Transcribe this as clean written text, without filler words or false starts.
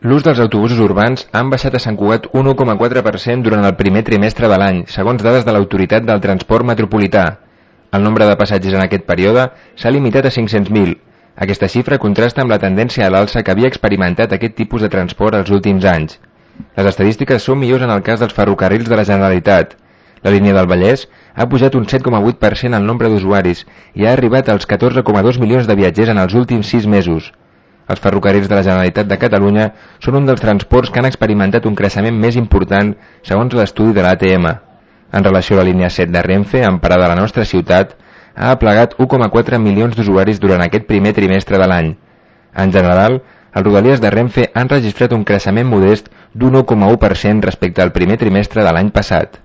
L'ús dels autobusos urbans han baixat a Sant Cugat un 1,4% durant el primer trimestre de l'any, segons dades de l'Autoritat del Transport Metropolità. El nombre de passatgers en aquest període s'ha limitat a 500.000. Aquesta xifra contrasta amb la tendència a l'alça que havia experimentat aquest tipus de transport els últims anys. Les estadístiques són millors en el cas dels ferrocarrils de la Generalitat. La línia del Vallès ha pujat un 7,8% el nombre d'usuaris i ha arribat als 14,2 milions de viatgers en els últims 6 mesos. Els ferrocarrils de la Generalitat de Catalunya són un dels transports que han experimentat un creixement més important segons l'estudi de l'ATM. En relació a la línia 7 de Renfe, en parada a la nostra ciutat, ha aplegat 1,4 milions d'usuaris durant aquest primer trimestre de l'any. En general, els rodalies de Renfe han registrat un creixement modest d'un 1,1% respecte al primer trimestre de l'any passat.